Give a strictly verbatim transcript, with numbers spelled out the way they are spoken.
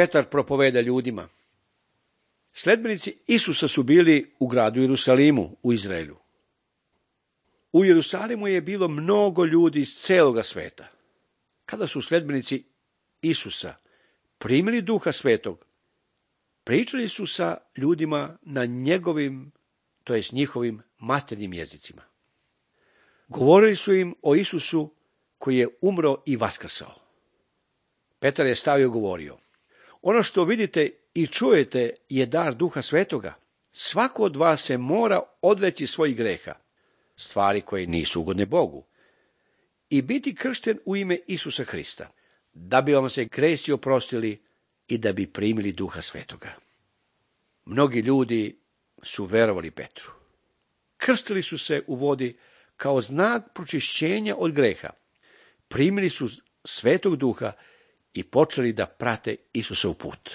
Petar propoveda ljudima. Sledbenici Isusa su bili u gradu Jerusalimu u Izraelu. U Jerusalimu je bilo mnogo ljudi iz celoga sveta. Kada su sledbenici Isusa primili Duha Svetog, pričali su sa ljudima na njegovim, to jest njihovim maternjim jezicima. Govorili su im o Isusu koji je umro i vaskrsao. Petar je stao i govorio: ono što vidite i čujete je dar Duha Svetoga. Svako od vas se mora odreći svojih greha, stvari koje nisu ugodne Bogu, i biti kršten u ime Isusa Hrista, da bi vam se gresi oprostili i da bi primili Duha Svetoga. Mnogi ljudi su verovali Petru. Krstili su se u vodi kao znak pročišćenja od greha. Primili su Svetog Duha i počeli da prate Isusov put.